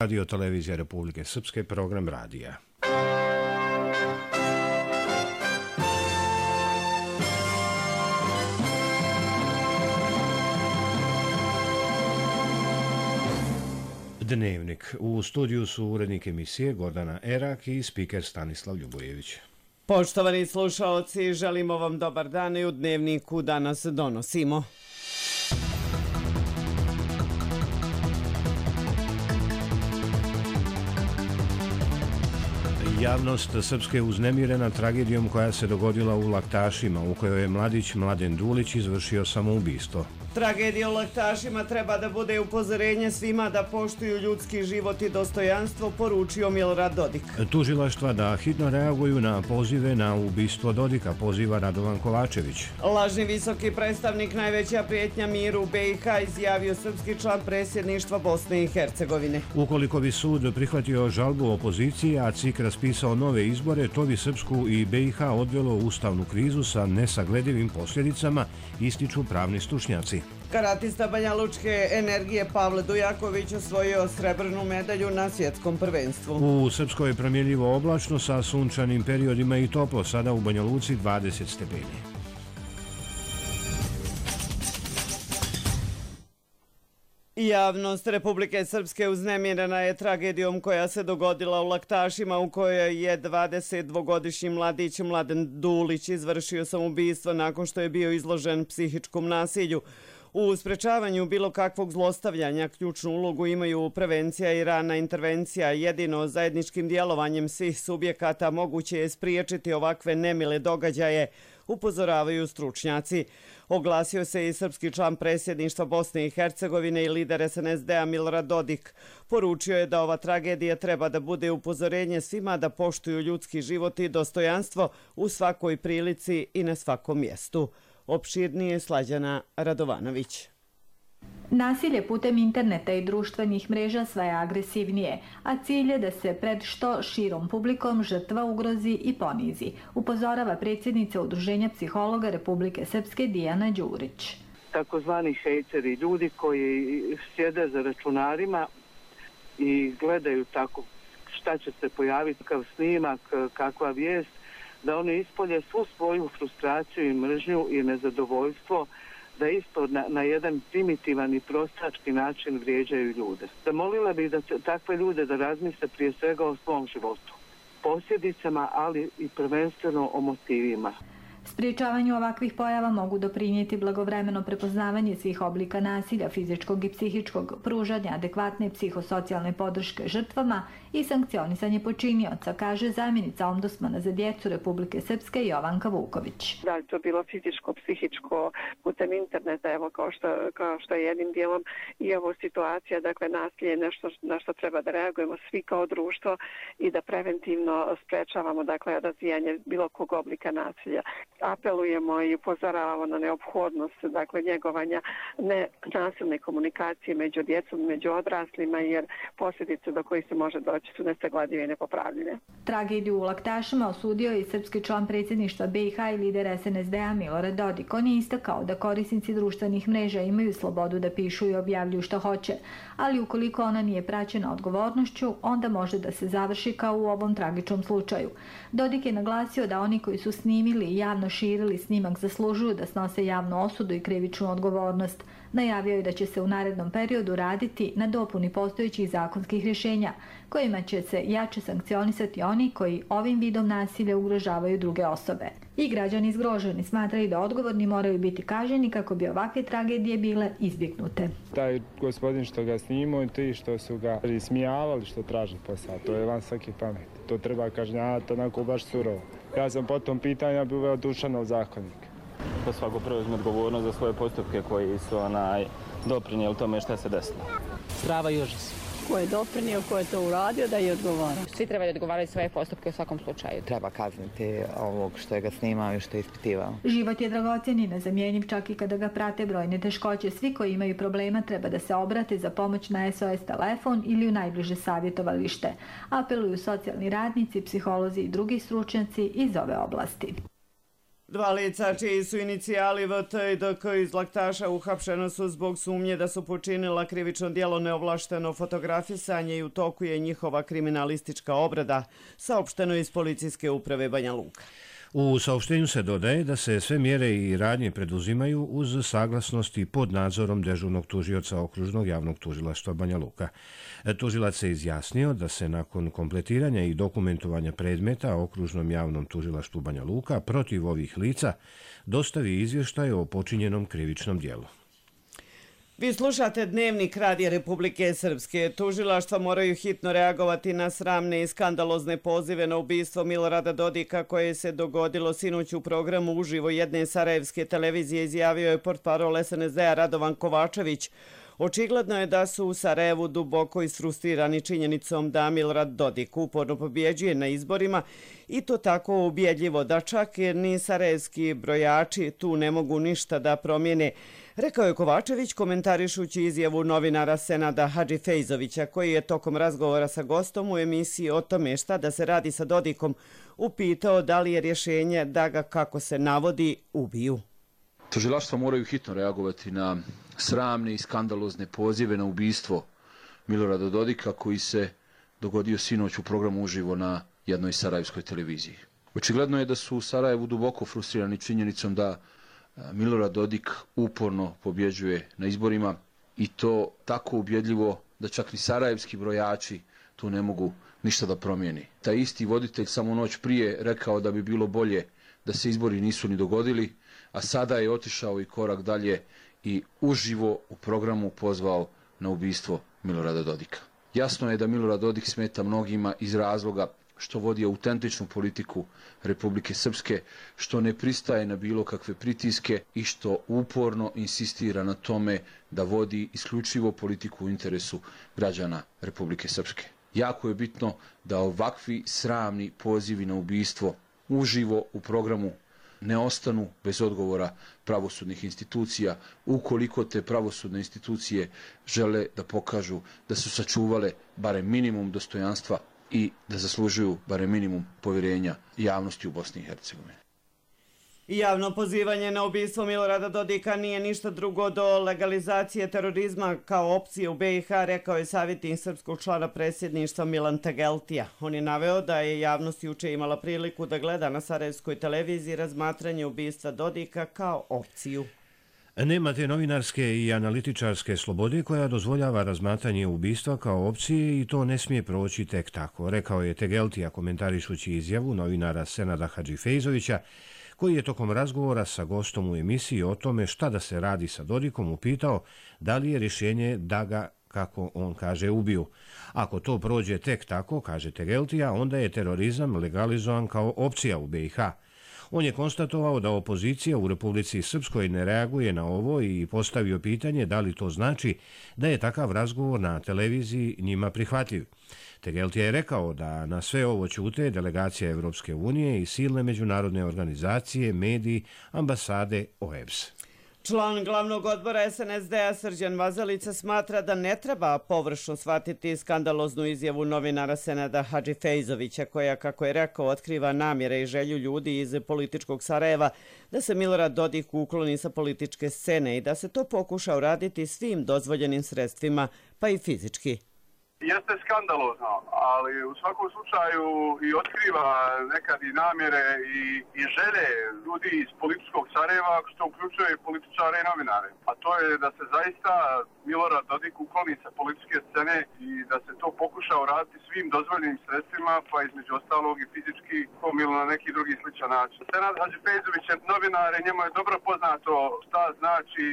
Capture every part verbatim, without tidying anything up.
Radio Televizija Republike Srpske, program radija. Dnevnik. U studiju su urednik emisije Gordana Erak i spiker Stanislav Ljubojević. Poštovani slušaoci, želimo vam dobar dan i u Dnevniku danas donosimo. Javnost Srpske je uznemirena tragedijom koja se dogodila u Laktašima, u kojoj je mladić Mladen Dulić izvršio samoubistvo. Tragedija u Laktašima treba da bude upozorenje svima da poštuju ljudski život i dostojanstvo, poručio Milorad Dodik. Tužilaštva da hitno reaguju na pozive na ubistvo Dodika, poziva Radovan Kovačević. Lažni visoki predstavnik, najveća prijetnja miru u B i H, izjavio srpski član predsjedništva Bosne i Hercegovine. Ukoliko bi sud prihvatio žalbu opozicije, a C I K raspisao nove izbore, to bi Srpsku i B i H odvelo u ustavnu krizu sa nesagledivim posljedicama, ističu pravni stručnjaci. Karatista Banjalučke energije Pavle Dujaković osvojio srebrnu medalju na svjetskom prvenstvu. U Srpskoj je promjenljivo oblačno sa sunčanim periodima i toplo, sada u Banja Luci dvadeset stepeni. Javnost Republike Srpske uznemirena je tragedijom koja se dogodila u Laktašima, u kojoj je dvadesetdvogodišnji mladić Mladen Dulić izvršio samoubistvo nakon što je bio izložen psihičkom nasilju. U sprečavanju bilo kakvog zlostavljanja ključnu ulogu imaju prevencija i rana intervencija. Jedino zajedničkim djelovanjem svih subjekata moguće je spriječiti ovakve nemile događaje, upozoravaju stručnjaci. Oglasio se i srpski član predsjedništva Bosne i Hercegovine i lider S N S D-a Milorad Dodik. Poručio je da ova tragedija treba da bude upozorenje svima da poštuju ljudski život i dostojanstvo u svakoj prilici i na svakom mjestu. Opširnije Slađana Radovanović. Nasilje putem interneta i društvenih mreža sve je agresivnije, a cilj je da se pred što širom publikom žrtva ugrozi i ponizi, upozorava predsjednica Udruženja psihologa Republike Srpske Dijana Đurić. Takozvani hejteri, ljudi koji sjede za računarima i gledaju tako šta će se pojaviti, kakav snimak, kakva vijest, da oni ispolje svu svoju frustraciju i mržnju i nezadovoljstvo, da isto na, na jedan primitivan i prostački način vrijeđaju ljude. Zamolila bih da takve ljude da razmisle prije svega o svom životu, posljedicama, ali i prvenstveno o motivima. Sprječavanju ovakvih pojava mogu doprinijeti blagovremeno prepoznavanje svih oblika nasilja, fizičkog i psihičkog, pružanja adekvatne psihosocijalne podrške žrtvama i sankcionisanje počinioca, kaže zamjenica ombudsmana za djecu Republike Srpske Jovanka Vuković. Da li to bilo fizičko, psihičko, putem interneta, evo kao što, kao što je jednim dijelom i ovo situacija, dakle nasilje je nešto na što treba da reagujemo svi kao društvo i da preventivno sprečavamo, dakle, razvijanje bilo kog oblika nasilja. Apelujemo i upozoravamo na neophodnost, dakle, njegovanja nenasilne komunikacije među djecom, među odraslima, jer posljedice do kojih se može doći su nesagledive i nepopravljene. Tragediju u Laktašima osudio je i srpski član predsjedništva B i H i lider S N S D-a Milorad Dodik. On je istakao da korisnici društvenih mreža imaju slobodu da pišu i objavljuju što hoće, ali ukoliko ona nije praćena odgovornošću, onda može da se završi kao u ovom tragičnom slučaju. Dodik je naglasio da oni koji su snimili i javno širili snimak zaslužuju da snose javnu osudu i krivičnu odgovornost. Najavio je da će se u narednom periodu raditi na dopuni postojećih zakonskih rješenja, kojima će se jače sankcionisati oni koji ovim vidom nasilja ugrožavaju druge osobe. I građani zgroženi smatraju da odgovorni moraju biti kažnjeni kako bi ovakve tragedije bile izbjegnute. Taj gospodin što ga snimao i ti što su ga ismijavali što traži posao, to je van svaki pamet. To treba kažnjavati onako baš surovo. Ja sam po tom pitanju bi uveo Dušanov zakonik. Da svako preuzme odgovornost za svoje postupke koji su onaj, doprinijeli tome što se desilo. Strava i užas. Ko je doprinio, ko je to uradio, da je odgovara. Svi trebaju odgovarati svoje postupke u svakom slučaju. Treba kazniti ovog što je ga snimao i što je ispitivao. Život je dragocjen i nezamjenjiv čak i kada ga prate brojne teškoće. Svi koji imaju problema treba da se obrate za pomoć na S O S telefon ili u najbliže savjetovalište. Apeluju socijalni radnici, psiholozi i drugi stručnjaci iz ove oblasti. Dva lica čiji su inicijali V T i D K iz Laktaša uhapšeno su zbog sumnje da su počinila krivično djelo neovlašteno fotografisanje i u toku je njihova kriminalistička obrada, saopšteno iz Policijske uprave Banja Luka. U saopštenju se dodaje da se sve mjere i radnje preduzimaju uz saglasnost i pod nadzorom dežurnog tužioca Okružnog javnog tužilaštva Banja Luka. Tužilac se izjasnio da se nakon kompletiranja i dokumentovanja predmeta Okružnom javnom tužilaštvu Banja Luka protiv ovih lica dostavi izvještaj o počinjenom krivičnom djelu. Vi slušate Dnevnik Radija Republike Srpske. Tužilaštva moraju hitno reagovati na sramne i skandalozne pozive na ubistvo Milorada Dodika koje se dogodilo sinoć u programu uživo jedne sarajevske televizije, izjavio je portparol S N S D-a Radovan Kovačević. Očigledno je da su u Sarajevu duboko isfrustirani činjenicom da Milorad Dodik uporno pobjeđuje na izborima i to tako ubjedljivo da čak ni sarajevski brojači tu ne mogu ništa da promijene, rekao je Kovačević komentarišući izjavu novinara Senada Hadžifejzovića koji je tokom razgovora sa gostom u emisiji o tome šta da se radi sa Dodikom upitao da li je rješenje da ga, kako se navodi, ubiju. Tužilaštva moraju hitno reagovati na sramne i skandalozne pozive na ubistvo Milorada Dodika koji se dogodio sinoć u programu uživo na jednoj sarajevskoj televiziji. Očigledno je da su u Sarajevu duboko frustrirani činjenicom da Milorad Dodik uporno pobjeđuje na izborima i to tako ubjedljivo da čak ni sarajevski brojači tu ne mogu ništa da promijeni. Taj isti voditelj samo noć prije rekao da bi bilo bolje da se izbori nisu ni dogodili, a sada je otišao i korak dalje i uživo u programu pozvao na ubistvo Milorada Dodika. Jasno je da Milorad Dodik smeta mnogima iz razloga što vodi autentičnu politiku Republike Srpske, što ne pristaje na bilo kakve pritiske i što uporno insistira na tome da vodi isključivo politiku u interesu građana Republike Srpske. Jako je bitno da ovakvi sramni pozivi na ubistvo uživo u programu ne ostanu bez odgovora pravosudnih institucija, ukoliko te pravosudne institucije žele da pokažu da su sačuvale barem minimum dostojanstva i da zaslužuju barem minimum povjerenja javnosti u Bosni i Hercegovini. Javno pozivanje na ubistvo Milorada Dodika nije ništa drugo do legalizacije terorizma kao opcije u B i H, rekao je savjetnik srpskog člana predsjedništva Milan Tegeltija. On je naveo da je javnost juče imala priliku da gleda na sarajevskoj televiziji razmatranje ubistva Dodika kao opciju. Nema te novinarske i analitičarske slobode koja dozvoljava razmatranje ubistva kao opcije i to ne smije proći tek tako, rekao je Tegeltija komentarišući izjavu novinara Senada Hadžifejzovića koji je tokom razgovora sa gostom u emisiji o tome šta da se radi sa Dodikom upitao da li je rješenje da ga, kako on kaže, ubiju. Ako to prođe tek tako, kaže Tegeltija, onda je terorizam legalizovan kao opcija u B i H. On je konstatovao da opozicija u Republici Srpskoj ne reaguje na ovo i postavio pitanje da li to znači da je takav razgovor na televiziji njima prihvatljiv. Tegeltija je rekao da na sve ovo ćute delegacija Evropske unije i silne međunarodne organizacije, mediji, ambasade, O E B S. Član glavnog odbora S N S D-a Srđan Vazalica smatra da ne treba površno shvatiti skandaloznu izjavu novinara Senada Hadžifejzovića koja, kako je rekao, otkriva namjere i želju ljudi iz političkog Sarajeva da se Milorad Dodik ukloni sa političke scene i da se to pokuša uraditi svim dozvoljenim sredstvima, pa i fizički. Jeste skandalozno, ali u svakom slučaju i otkriva nekad i namjere i, i želje ljudi iz političkog Sarajeva, što uključuje i političare i novinare. A to je da se zaista Milorad Dodik ukloni sa političke scene i da se to pokuša uraditi svim dozvoljenim sredstvima, pa između ostalog i fizički ili na neki drugi sličan način. Senad Hadžifejzović je novinar i njemu je dobro poznato šta znači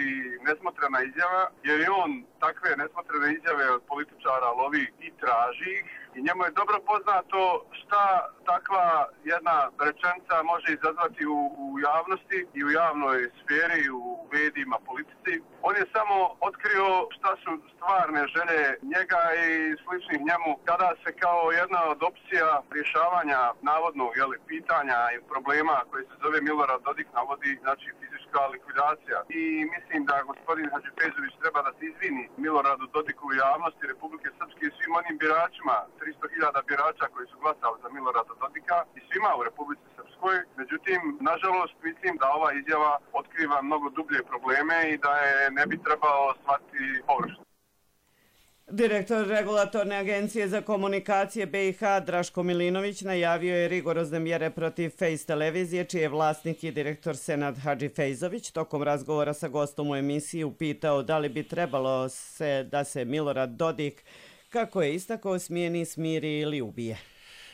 nesmotrena izjava, jer je on takve nesmotrene izjave od političara lovi i traži ih. I njemu je dobro poznato šta takva jedna rečenica može izazvati u, u javnosti i u javnoj sferi, u medijima, politici. On je samo otkrio šta su stvarne želje njega i sličnih njemu kada se kao jedna od opcija rješavanja navodno jeli, pitanja i problema koji se zove Milorad Dodik navodi, znači fizički politička likvidacija. I mislim da gospodin Hadžifezović treba da se izvini Miloradu Dodiku u javnosti Republike Srpske i svim onim biračima, tristo hiljada birača koji su glasali za Milorada Dodika i svima u Republici Srpskoj. Međutim, nažalost, mislim da ova izjava otkriva mnogo dublje probleme i da je ne bi trebao shvatiti površno. Direktor Regulatorne agencije za komunikacije B i H Draško Milinović najavio je rigorozne mjere protiv Face televizije, čiji je vlasnik i direktor Senad Hadžifejzović. Tokom razgovora sa gostom u emisiji upitao da li bi trebalo se da se Milorad Dodik, kako je istakao, smijeni, smiri ili ubije.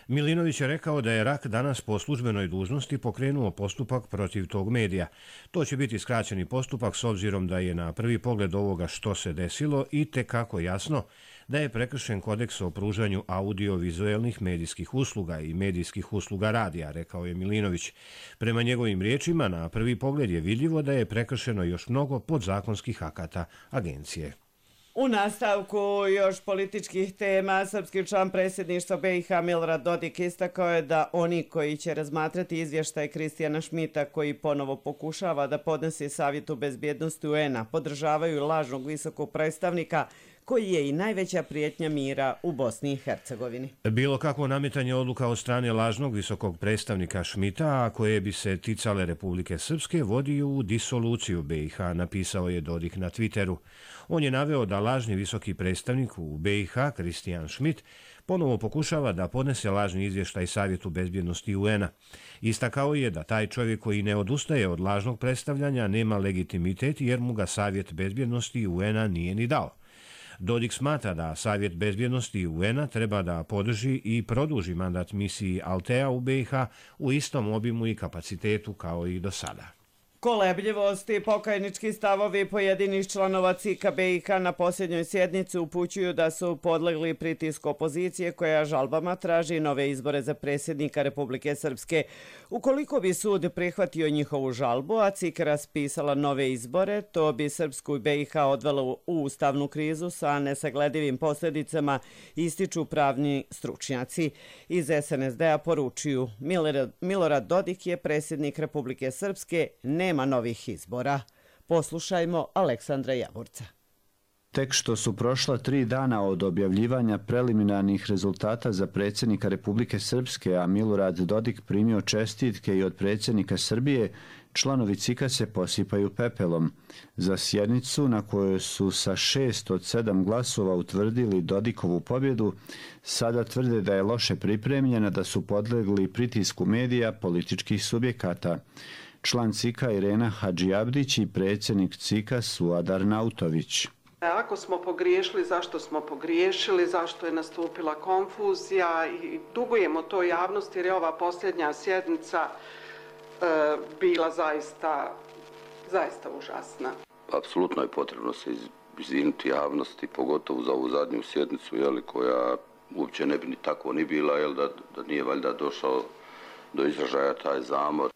Milinović je rekao da je R A K danas po službenoj dužnosti pokrenuo postupak protiv tog medija. To će biti skraćeni postupak s obzirom da je na prvi pogled ovoga što se desilo i tekako jasno da je prekršen kodeks o pružanju audiovizuelnih medijskih usluga i medijskih usluga radija, rekao je Milinović. Prema njegovim riječima, na prvi pogled je vidljivo da je prekršeno još mnogo podzakonskih akata agencije. U nastavku još političkih tema, srpski član predsjedništva B i H Milorad Dodik istakao je da oni koji će razmatrati izvještaj Kristijana Šmita, koji ponovo pokušava da podnese Savjetu bezbjednosti U N-a, podržavaju lažnog visokog predstavnika koji je i najveća prijetnja mira u Bosni i Hercegovini. Bilo kakvo nametanje odluka od strane lažnog visokog predstavnika Šmita, a koje bi se ticale Republike Srpske, vodi u disoluciju B i H, napisao je Dodik na Twitteru. On je naveo da lažni visoki predstavnik u B i H, Kristijan Šmit, ponovo pokušava da podnese lažni izvještaj Savjetu bezbjednosti U N-a. Istakao je da taj čovjek koji ne odustaje od lažnog predstavljanja nema legitimitet jer mu ga Savjet bezbjednosti U N-a nije ni dao. Dodik smatra da Savjet bezbjednosti U N-a treba da podrži i produži mandat misiji Altea u B i H u istom obimu i kapacitetu kao i do sada. Kolebljivost i pokajnički stavovi pojedinih članova C I K-a B i H na posljednjoj sjednici upućuju da su podlegli pritisku opozicije koja žalbama traži nove izbore za predsjednika Republike Srpske. Ukoliko bi sud prihvatio njihovu žalbu, a C I K raspisala nove izbore, to bi Srpsku i B i H odvelo u ustavnu krizu sa nesagledivim posljedicama, ističu pravni stručnjaci. Iz S N S D-a poručuju: Milorad Dodik je predsjednik Republike Srpske, ne nema novih izbora. Poslušajmo Aleksandra Javorca. Tek što su prošla tri dana od objavljivanja preliminarnih rezultata za predsjednika Republike Srpske, a Milorad Dodik primio čestitke i od predsjednika Srbije, članovi C I K-a se posipaju pepelom. Za sjednicu na kojoj su sa šest od sedam glasova utvrdili Dodikovu pobjedu, sada tvrde da je loše pripremljena, da su podlegli pritisku medija, političkih subjekata. Član C I K-a Irena Hadžiabdić i predsjednik C I K-a Suadar Nautović. Ako smo pogriješili, zašto smo pogriješili, zašto je nastupila konfuzija i dugujemo to javnosti jer je ova posljednja sjednica e, bila zaista, zaista užasna. Apsolutno je potrebno se izviniti javnosti, pogotovo za ovu zadnju sjednicu, jeli, koja uopće ne bi ni tako ni bila, jel, da, da nije valjda došao do izražaja taj zamor.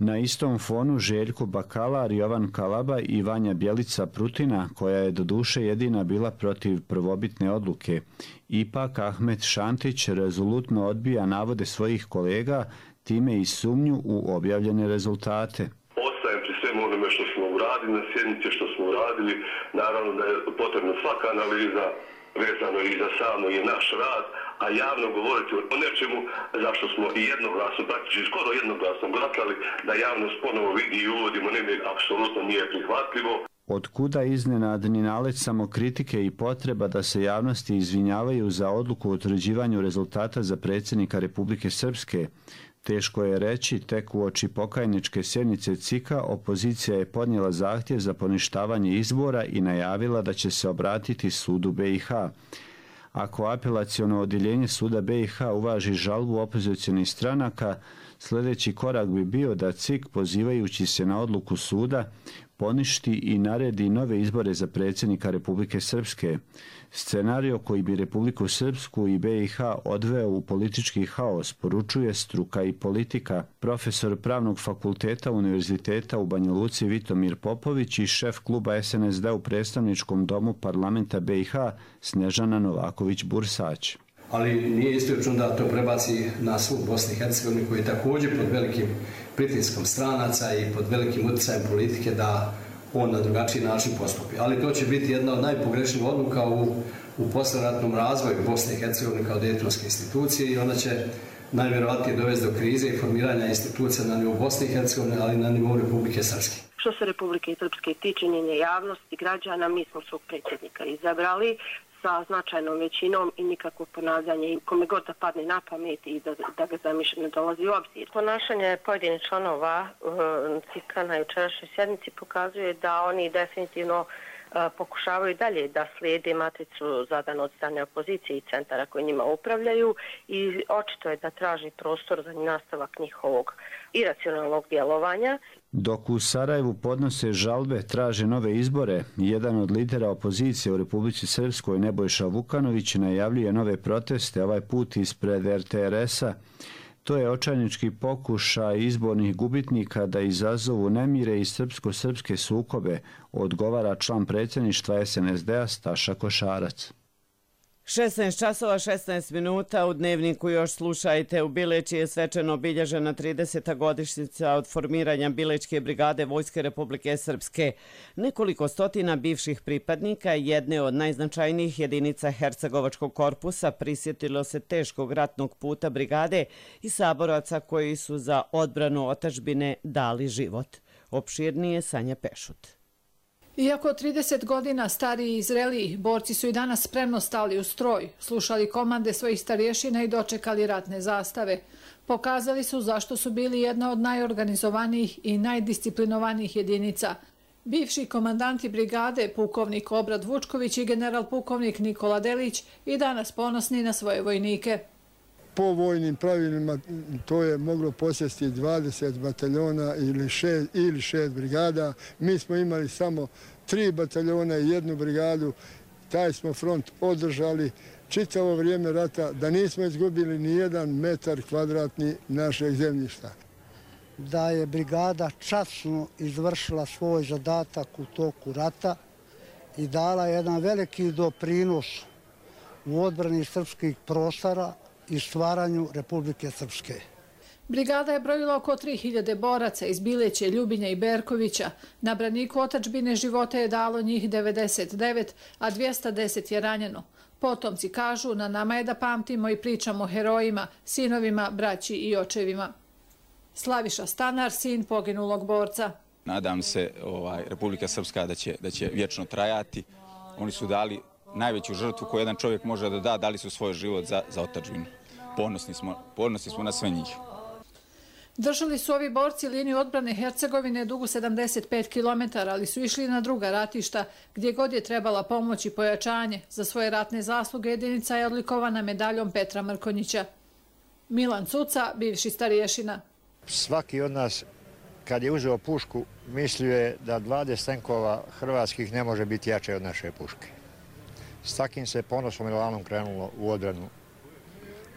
Na istom fonu Željko Bakalar, Jovan Kalaba i Vanja Bjelica Prutina, koja je doduše jedina bila protiv prvobitne odluke. Ipak Ahmet Šantić rezolutno odbija navode svojih kolega, time i sumnju u objavljene rezultate. Ostajem pri svemu onome što smo uradili na sjednici, što smo uradili. Naravno da je potrebna svaka analiza vezano i za samo i naš rad, a javno govoriti o nečemu zašto smo i jednoglasno, praktički skoro jednoglasno glasali, da javnost ponovo vidi i uvodimo neme, apsolutno nije prihvatljivo. Otkuda iznenadni nalet samokritike i potreba da se javnosti izvinjavaju za odluku o utvrđivanju rezultata za predsjednika Republike Srpske? Teško je reći, tek uoči pokajničke sjednice C I K-a opozicija je podnijela zahtjev za poništavanje izbora i najavila da će se obratiti sudu B i H. Ako apelaciono odjeljenje suda B i H uvaži žalbu opozicionih stranaka, sljedeći korak bi bio da C I K, pozivajući se na odluku suda, poništi i naredi nove izbore za predsjednika Republike Srpske. Scenario koji bi Republiku Srpsku i B i H odveo u politički haos, poručuje struka i politika. Profesor Pravnog fakulteta Univerziteta u Banja Luci Vitomir Popović i šef kluba S N S D u predstavničkom domu parlamenta B i H Snežana Novaković-Bursać. ali nije isključeno da to prebaci na sud Bosne i Hercegovine koji je također pod velikim pritiskom stranaca i pod velikim utjecajem politike da on na drugačiji način postupi. Ali to će biti jedna od najpogrešnijih odluka u, u posleratnom razvoju Bosne i Hercegovine kao dejtonske institucije i ona će najvjerovatnije dovesti do krize i formiranja institucija na nivou Bosne i Hercegovine, ali i na nivou Republike Srpske. Što se Republike Srpske tiče njene javnosti, građana, mi smo svog predsjednika izabrali sa značajnom većinom i nikakvo ponavljanje kome god da padne na pamet i da, da ga zamišljeno ne dolazi u obzir. Ponašanje pojedinih članova C I K-a na jučerašnjoj sjednici pokazuje da oni definitivno pokušavaju dalje da slijede matricu zadanu od strane opozicije i centara koji njima upravljaju i očito je da traži prostor za nastavak njihovog iracionalnog djelovanja. Dok u Sarajevu podnose žalbe, traže nove izbore, jedan od lidera opozicije u Republici Srpskoj, Nebojša Vukanović, najavljuje nove proteste, ovaj put ispred R T R S-a. To je očajnički pokušaj izbornih gubitnika da izazovu nemire i srpsko-srpske sukobe, odgovara član predsjedništva S N S D-a Staša Košarac. šesnaest časova šesnaest minuta u Dnevniku još slušajte. U Bileći je svečano obilježena trideseta godišnjica od formiranja Bilečke brigade Vojske Republike Srpske. Nekoliko stotina bivših pripadnika jedne od najznačajnijih jedinica Hercegovačkog korpusa prisjetilo se teškog ratnog puta brigade i saboraca koji su za odbranu otadžbine dali život. Opširnije Sanja Pešut. Iako trideset godina stariji i zreliji, borci su i danas spremno stali u stroj, slušali komande svojih starješina i dočekali ratne zastave. Pokazali su zašto su bili jedna od najorganizovanijih i najdisciplinovanijih jedinica. Bivši komandanti brigade, pukovnik Obrad Vučković i general pukovnik Nikola Delić, i danas ponosni na svoje vojnike. Po vojnim pravilima to je moglo posjesti dvadeset bataljona ili šest, ili šest brigada. Mi smo imali samo tri bataljona i jednu brigadu. Taj smo front održali čitavo vrijeme rata, da nismo izgubili ni jedan metar kvadratni našeg zemljišta. Da je brigada časno izvršila svoj zadatak u toku rata i dala jedan veliki doprinos u odbrani srpskih prostora i stvaranju Republike Srpske. Brigada je brojila oko tri hiljade boraca iz Bileće, Ljubinja i Berkovića. Na braniku otadžbine života je dalo njih devedeset devet, a dvjesto deset je ranjeno. Potomci kažu, na nama je da pamtimo i pričamo o herojima, sinovima, braći i očevima. Slaviša Stanar, sin poginulog borca. Nadam se ovaj, Republika Srpska da će, da će vječno trajati. Oni su dali najveću žrtvu koju jedan čovjek može da da, dali su svoj život za, za otadžbinu. Ponosni smo, ponosni smo na sve njih. Držali su ovi borci liniju odbrane Hercegovine dugu sedamdeset pet kilometara, ali su išli na druga ratišta, gdje god je trebala pomoć i pojačanje. Za svoje ratne zasluge jedinica je odlikovana medaljom Petra Mrkonjića. Milan Cuca, bivši starješina. Svaki od nas, kad je uzeo pušku, mislio je da dvadeset tenkova hrvatskih ne može biti jače od naše puške. S takim se ponosom i lanom krenulo u odbranu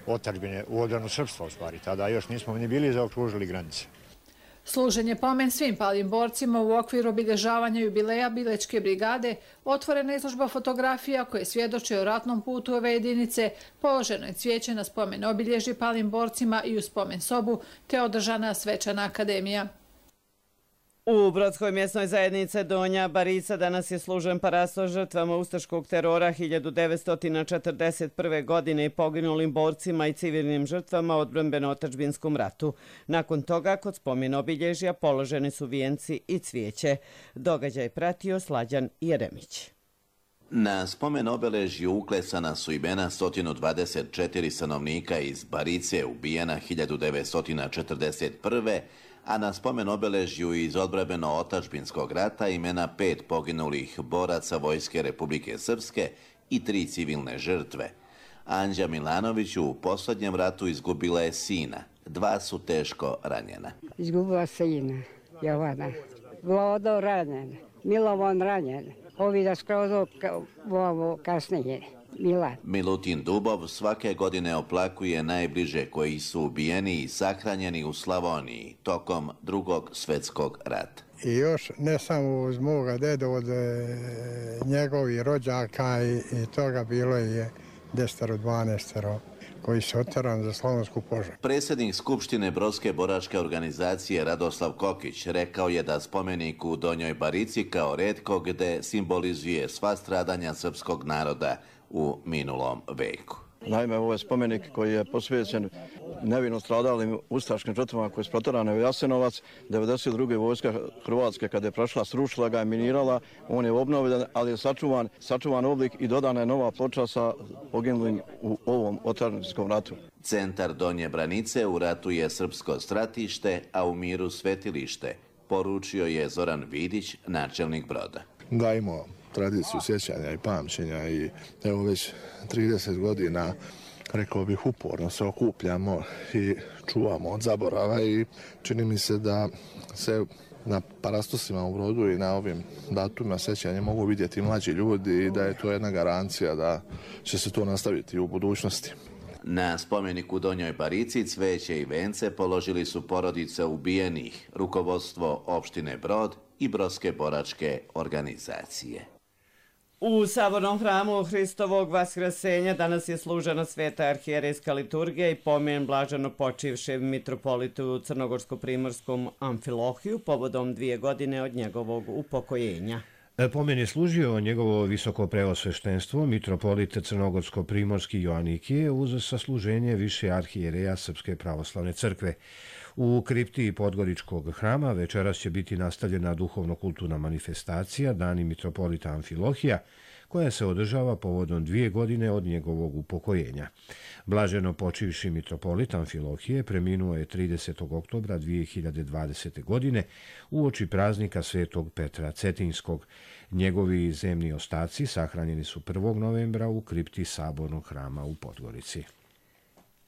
otadžbine, u odbranu srpstva u stvari. Tada još nismo ni bili zaokružili granice. Služen je pomen svim palim borcima u okviru obilježavanja jubileja Bilečke brigade, otvorena izložba fotografija koje svjedoče o ratnom putu ove jedinice, položeno je cvijeće na spomen obilježi palim borcima i u spomen sobu, te održana svečana akademija. U Brodskoj mjesnoj zajednici Donja Barica danas je služen parasto žrtvama ustaškog terora hiljadu devetsto četrdeset prve. godine i poginulim borcima i civilnim žrtvama odbrambeno-otadžbinskom ratu. Nakon toga, kod spomen obilježja, položeni su vijenci i cvijeće. Događaj pratio Slađan Jeremić. Na spomen obeležju uklesana su imena sto dvadeset četiri stanovnika iz Barice ubijena hiljadu devetsto četrdeset prve. a na spomen obeležju iz odbrambeno-otadžbinskog rata imena pet poginulih boraca Vojske Republike Srpske i tri civilne žrtve. Anđa Milanović u posljednjem ratu izgubila je sina. Dva su teško ranjena. Izgubila sina, Jovana. Vlado ranjen, Milovan ranjen. Ovi da skroz ovo kasnije. Milan. Milutin Dubov svake godine oplakuje najbliže koji su ubijeni i sahranjeni u Slavoniji tokom drugog svjetskog rata. I još ne samo uz moga dedu, od njegovih rođaka i, i toga bilo je desetero, dvanaestero koji se oteran za Slavonsku požar. Predsjednik Skupštine Brodske boračke organizacije Radoslav Kokić rekao je da spomenik u Donjoj Barici kao retko gde simbolizuje sva stradanja srpskog naroda u minulom veku. Naime, ovo je spomenik koji je posvećen nevino stradalim ustaškim žrtvama koje su proterane u Jasenovac. devedeset druge vojska Hrvatske kada je prošla, srušila ga, minirala, on je obnovljen, ali je sačuvan, sačuvan oblik i dodana je nova ploča sa poginulim u ovom otadžbinskom ratu. Centar Donje Branice u ratu je srpsko stratište, a u miru svetilište, poručio je Zoran Vidić, načelnik Broda. Gajimo tradiciju sjećanja i pamćenja i evo već trideset godina, rekao bih, uporno se okupljamo i čuvamo od zaborava i čini mi se da se na parastosima u Brodu i na ovim datumima sjećanja mogu vidjeti mlađi ljudi i da je to jedna garancija da će se to nastaviti u budućnosti. Na spomeniku Donjoj Barici cveće i vence položili su porodice ubijenih, rukovodstvo opštine Brod i Brodske boračke organizacije. U Sabornom hramu Hristovog vaskrsenja danas je služena sveta arhijerejska liturgija i pomen blaženo počivšem mitropolitu Crnogorsko-primorskom Amfilohiju povodom dvije godine od njegovog upokojenja. Pomen je služio njegovo visoko preosveštenstvo, mitropolit Crnogorsko-primorski Joanikije uz sasluženje više arhijereja Srpske pravoslavne crkve. U kripti Podgoričkog hrama večeras će biti nastavljena duhovno-kulturna manifestacija Dani mitropolita Amfilohija, koja se održava povodom dvije godine od njegovog upokojenja. Blaženo počivši mitropolit Amfilohije preminuo je tridesetog oktobra dvije hiljade dvadesete. godine uoči praznika Svetog Petra Cetinskog. Njegovi zemni ostaci sahranjeni su prvog novembra u kripti Sabornog hrama u Podgorici.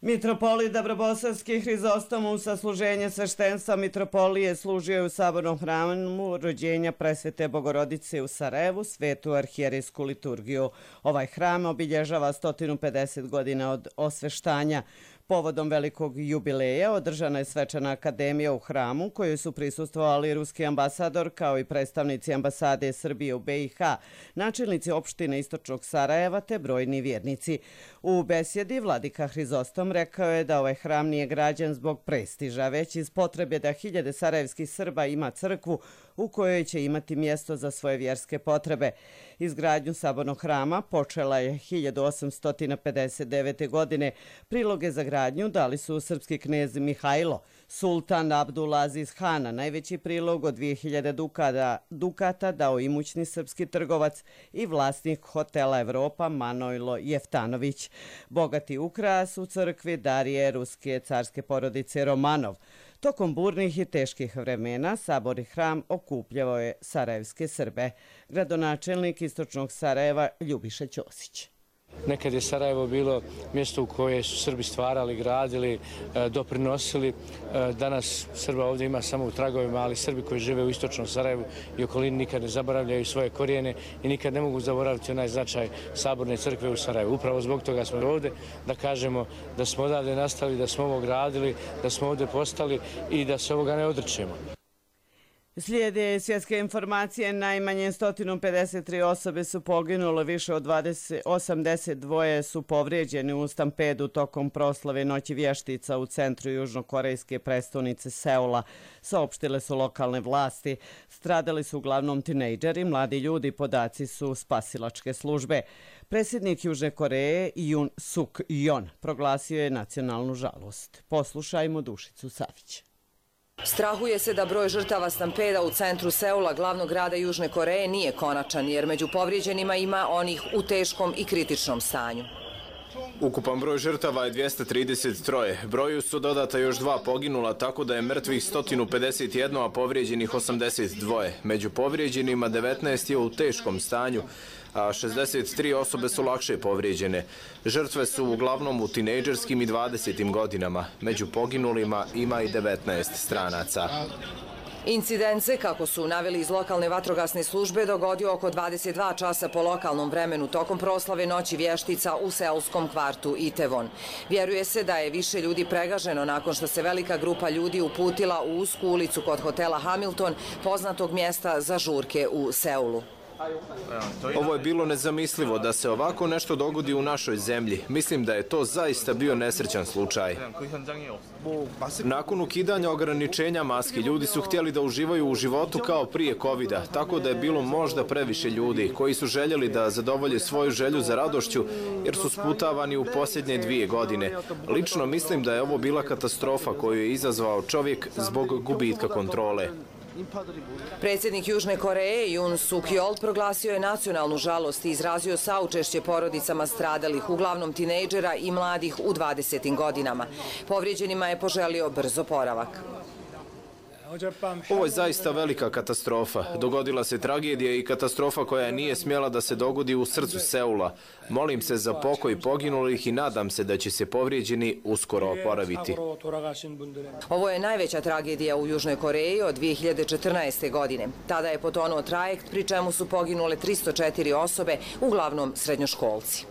Mitropolit Dobrobosavski Hrizostom u sasluženje sveštenstva mitropolije služio je u Sabornom hramu rođenja Presvete Bogorodice u Sarajevu, svetu arhijerejsku liturgiju. Ovaj hram obilježava sto pedeset godina od osveštanja. Povodom velikog jubileja održana je svečana akademija u hramu kojoj su prisustvovali ruski ambasador kao i predstavnici ambasade Srbije u be i ha, načelnici opštine Istočnog Sarajeva te brojni vjernici. U besjedi vladika Hrizostom rekao je da ovaj hram nije građen zbog prestiža, već iz potrebe da hiljade sarajevskih Srba ima crkvu u kojoj će imati mjesto za svoje vjerske potrebe. Izgradnju Sabornog hrama počela je hiljadu osamsto pedeset devete. godine. Priloge za gradnju dali su srpski knez Mihajlo, sultan Abdulaziz Hana, najveći prilog od dvije hiljade dukata, dukata dao imućni srpski trgovac i vlasnik hotela Evropa Manojlo Jeftanović. Bogati ukras u crkvi darije ruske carske porodice Romanov. Tokom burnih i teških vremena Saborni hram okupljavao je sarajevske Srbe. Gradonačelnik Istočnog Sarajeva Ljubiša Ćosić. Nekad je Sarajevo bilo mjesto u koje su Srbi stvarali, gradili, doprinosili. Danas Srba ovdje ima samo u tragovima, ali Srbi koji žive u Istočnom Sarajevu i okolini nikad ne zaboravljaju svoje korijene i nikad ne mogu zaboraviti onaj značaj Saborne crkve u Sarajevu. Upravo zbog toga smo ovdje da kažemo da smo odavde nastali, da smo ovo gradili, da smo ovdje postali i da se ovoga ne odričemo. Slijede svjetske informacije, najmanje sto pedeset tri osobe su poginule, više od osamdeset dva su povrijeđeni u stampedu tokom proslave Noći vještica u centru južnokorejske prestonice Seula, saopštile su lokalne vlasti. Stradali su uglavnom tinejdžeri, mladi ljudi, podaci su spasilačke službe. Predsjednik Južne Koreje Yoon Suk Yeol proglasio je nacionalnu žalost. Poslušajmo Dušicu Savić. Strahuje se da broj žrtava stampeda u centru Seula, glavnog grada Južne Koreje, nije konačan, jer među povrijeđenima ima onih u teškom i kritičnom stanju. Ukupan broj žrtava je dvjesto trideset tri. Broju su dodata još dva poginula, tako da je mrtvih sto pedeset jedan, a povrijeđenih osamdeset dva. Među povrijeđenima devetnaest je u teškom stanju, a šezdeset tri osobe su lakše povrijeđene. Žrtve su uglavnom u tinejdžerskim i dvadesetim godinama. Među poginulima ima i devetnaest stranaca. Incident se, kako su naveli iz lokalne vatrogasne službe, dogodio oko dvadeset dva časa po lokalnom vremenu tokom proslave Noći vještica u seulskom kvartu Itevon. Vjeruje se da je više ljudi pregaženo nakon što se velika grupa ljudi uputila u usku ulicu kod hotela Hamilton, poznatog mjesta za žurke u Seulu. Ovo je bilo nezamislivo da se ovako nešto dogodi u našoj zemlji. Mislim da je to zaista bio nesrećan slučaj. Nakon ukidanja ograničenja maski, ljudi su htjeli da uživaju u životu kao prije kovida, tako da je bilo možda previše ljudi koji su željeli da zadovolje svoju želju za radošću jer su sputavani u posljednje dvije godine. Lično mislim da je ovo bila katastrofa koju je izazvao čovjek zbog gubitka kontrole. Predsjednik Južne Koreje Yoon Suk Yeol proglasio je nacionalnu žalost i izrazio saučešće porodicama stradalih, uglavnom tinejdžera i mladih u dvadesetim godinama. Povrijeđenima je poželio brz oporavak. Ovo je zaista velika katastrofa. Dogodila se tragedija i katastrofa koja nije smjela da se dogodi u srcu Seula. Molim se za pokoj poginulih i nadam se da će se povrijeđeni uskoro oporaviti. Ovo je najveća tragedija u Južnoj Koreji od dvije hiljade četrnaeste. godine. Tada je potonuo trajekt, pri čemu su poginule tristo četiri osobe, uglavnom srednjoškolci.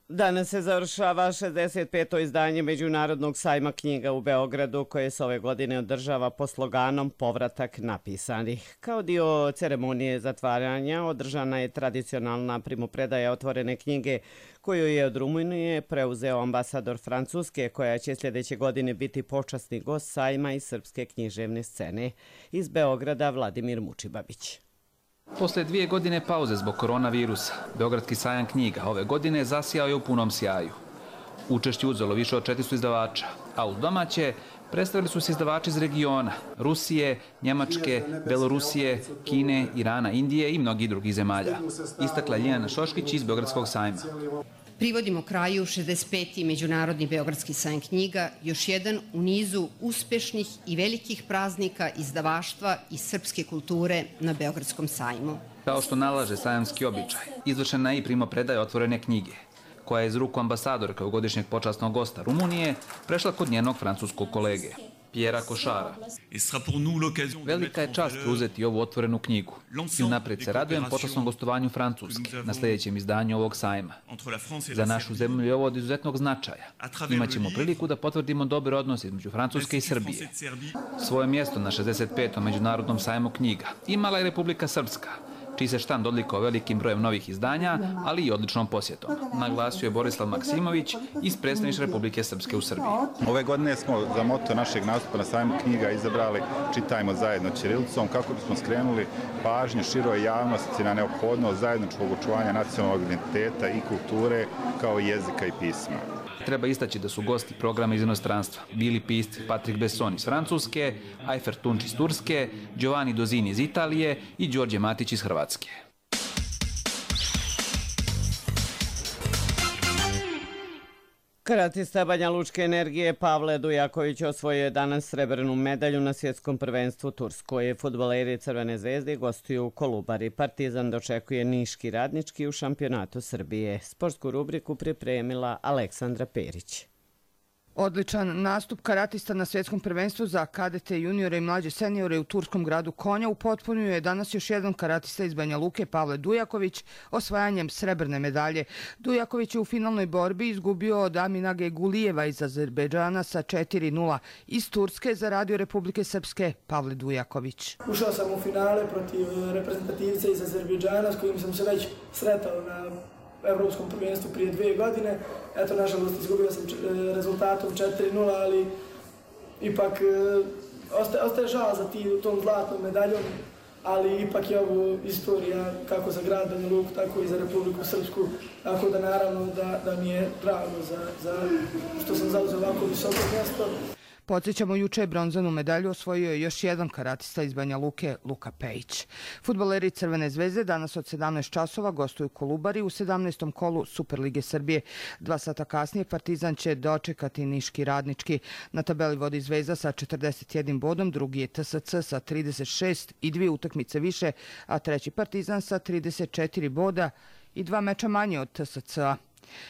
Danas se završava šezdeset peto izdanje Međunarodnog sajma knjiga u Beogradu, koje se ove godine održava pod sloganom Povratak napisanih. Kao dio ceremonije zatvaranja održana je tradicionalna primopredaja otvorene knjige koju je od Rumunije preuzeo ambasador Francuske, koja će sljedeće godine biti počasni gost sajma i srpske književne scene. Iz Beograda Vladimir Mučibabić. Posle dvije godine pauze zbog koronavirusa, Beogradski sajam knjiga ove godine zasijao je u punom sjaju. Učešće uzelo više od četiristo izdavača, a uz domaće predstavili su se izdavači iz regiona, Rusije, Njemačke, Belorusije, Kine, Irana, Indije i mnogih drugih zemalja. Istakla Ljiljana Šoškić iz Beogradskog sajma. Privodimo kraju šezdeset peti Međunarodni Beogradski sajam knjiga, još jedan u nizu uspešnih i velikih praznika izdavaštva i srpske kulture na Beogradskom sajmu. Kao što nalaže sajamski običaj, izvršena je i primopredaja otvorene knjige, koja je iz ruku ambasadorka godišnjeg počasnog gosta Rumunije prešla kod njenog francuskog kolege, Pjera Košara. Velika je čast uzeti ovu otvorenu knjigu i unaprijed se radujem počasnom gostovanju Francuske na sljedećem izdanju ovog sajma. Za našu zemlju je ovo od izuzetnog značaja. Imaćemo priliku da potvrdimo dobre odnose između Francuske i Srbije. Svoje mjesto na šezdeset petom Međunarodnom sajmu knjiga imala je Republika Srpska, čiji se štand odlikao velikim brojem novih izdanja, ali i odličnom posjetom, naglasio je Borislav Maksimović iz predstavništva Republike Srpske u Srbiji. Ove godine smo za moto našeg nastupa na sajmu knjiga izabrali Čitajmo zajedno ćirilicom, kako bismo skrenuli pažnju široj javnosti na neophodnost zajedničkog očuvanja nacionalnog identiteta i kulture kao jezika i pisma. Treba istaći da su gosti programa iz inostranstva bili pisci Patrick Besson iz Francuske, Ajfer Tunč iz Turske, Giovanni Dozini iz Italije i Đorđe Matić iz Hrvatske. Karatista Banja Lučke energije Pavle Dujaković osvojio je danas srebrnu medalju na svjetskom prvenstvu u Turskoj. Fudbaleri Crvene zvezde gostuju u Kolubari. Partizan dočekuje Niški Radnički u šampionatu Srbije. Sportsku rubriku pripremila Aleksandra Perić. Odličan nastup karatista na svjetskom prvenstvu za kadete, juniore i mlađe seniore u turskom gradu Konja upotpunio je danas još jedan karatista iz Banja Luke, Pavle Dujaković, osvajanjem srebrne medalje. Dujaković je u finalnoj borbi izgubio od Aminage Gulijeva iz Azerbejdžana sa četiri nula. Iz Turske za radio Republike Srpske Pavle Dujaković. Ušao sam u finale protiv reprezentativca iz Azerbejdžana s kojim sam se već sretao na evropskom prvenstvu prije dvije godine. Eto, nažalost, izgubio sam rezultatom četiri nula, ali ipak ostaje, ostaje žal za ti, tom zlatnom medaljom, ali ipak je ovo istorija kako za grad Banja Luku, tako i za Republiku Srpsku, tako da naravno da, da mi je drago za, za što sam zauzeo ovako visoko mjesto. Podsjećamo, juče je bronzanu medalju osvojio je još jedan karatista iz Banja Luke, Luka Pejić. Fudbaleri Crvene zvezde danas od sedamnaest časova gostuju u Kolubari u sedamnaestom kolu Superlige Srbije. Dva sata kasnije Partizan će dočekati Niški Radnički. Na tabeli vodi Zvezda sa četrdeset jednim bodom, drugi je T S C sa trideset šest i dvije utakmice više, a treći Partizan sa trideset četiri boda i dva meča manje od T S C-a.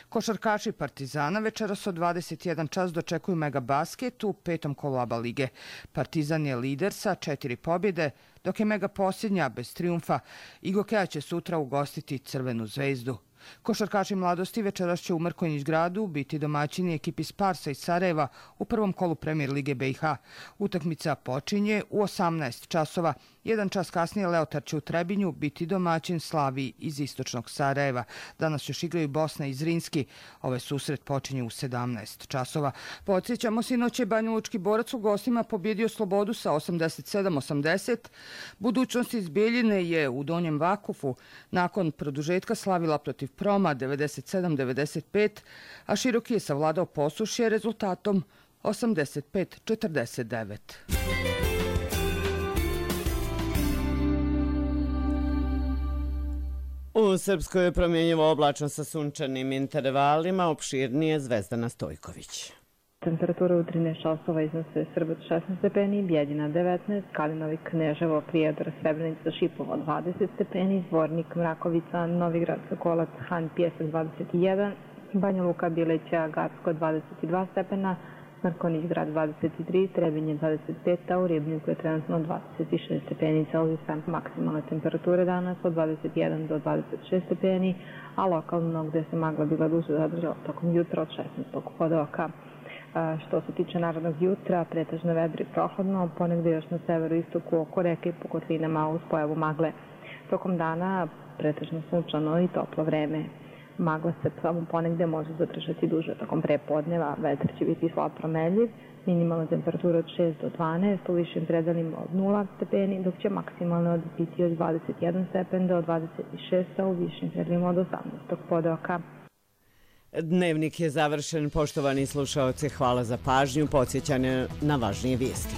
Košarkaši Partizana večeras od dvadeset jedan čas dočekuju Megabasket u petom kolu A B A lige. Partizan je lider sa četiri pobjede, dok je Mega posljednja bez trijumfa. Igokeja će sutra ugostiti Crvenu zvezdu. Košarkaši mladosti večeras će u Mrkonjić gradu biti domaćini ekipi Sparsa iz Sarajeva u prvom kolu Premier lige B i H. Utakmica počinje u osamnaest časova. Jedan čas kasnije Leotar će u Trebinju biti domaćin Slaviji iz istočnog Sarajeva. Danas još igraju Bosna i Zrinski. Ovaj susret počinje u sedamnaest časova. Podsjećamo, sinoć je banjalučki borac u gostima pobjedio Slobodu sa osamdeset sedam osamdeset. Budućnost iz Bijeljine je u Donjem Vakufu nakon produžetka slavila protiv Proma devedeset sedam devedeset pet, a Široki je savladao Posušje rezultatom osamdeset pet četrdeset devet. U Srpskoj je promjenjivo oblačno sa sunčanim intervalima, opširnije Zvezdana Stojković. Temperatura u trinaest časova iznose Srbet šesnaest stepeni, Bjeljina devetnaest, Kalinovi, Kneževo, Prijedor, Srebrenica, Šipovo dvadeset stepeni, Zvornik, Mrakovica, Novigrad, Sokolac, Han, Pjesak dvadeset jedan, Banja Luka, Bileća, Gacko dvadeset dva stepena, Mrkonjić grad dvadeset tri, Trebinje dvadeset pet, a u Ribnjuku je trenutno dvadeset šest stepeni Celzijusa. Maksimalne temperature danas od dvadeset jedan do dvadeset šest stepeni, a lokalno gde se magla bila duže zadržala tokom jutra od šesnaest pod oka. Što se tiče narednog jutra, pretežno vedro i prohladno, ponegde još na severu istoku oko reke i po kotlinama uz pojavu magle. Tokom dana pretežno sunčano i toplo vreme. Magla se samo ponegde može zadržati duže tokom prepodneva, vetar će biti slab promenljiv, minimalna temperatura od šest do dvanaest, u višim predelima od nula stepeni, dok će maksimalno biti od dvadeset jedan stepen do dvadeset šest, a u višim predelima od osamnaest pod oka. Dnevnik je završen. Poštovani slušaoci, hvala za pažnju. Podsjećanje na važnije vijesti.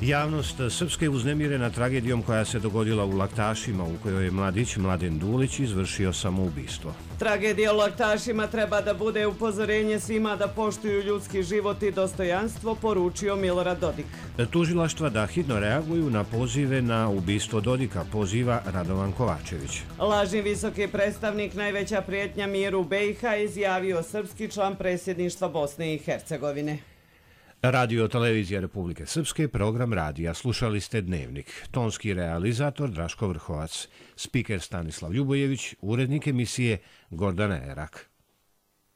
Javnost Srpske je uznemirena tragedijom koja se dogodila u Laktašima, u kojoj je mladić Mladen Dulić izvršio samoubistvo. Tragedija u Laktašima treba da bude upozorenje svima da poštuju ljudski život i dostojanstvo, poručio Milorad Dodik. Tužilaštva da hitno reaguju na pozive na ubistvo Dodika, poziva Radovan Kovačević. Lažni visoki predstavnik, najveća prijetnja miru B i H, izjavio srpski član predsjedništva Bosne i Hercegovine. Radio Televizija Republike Srpske, program radija. Slušali ste Dnevnik. Tonski realizator Draško Vrhovac, spiker Stanislav Ljubojević, urednik emisije Gordana Erak.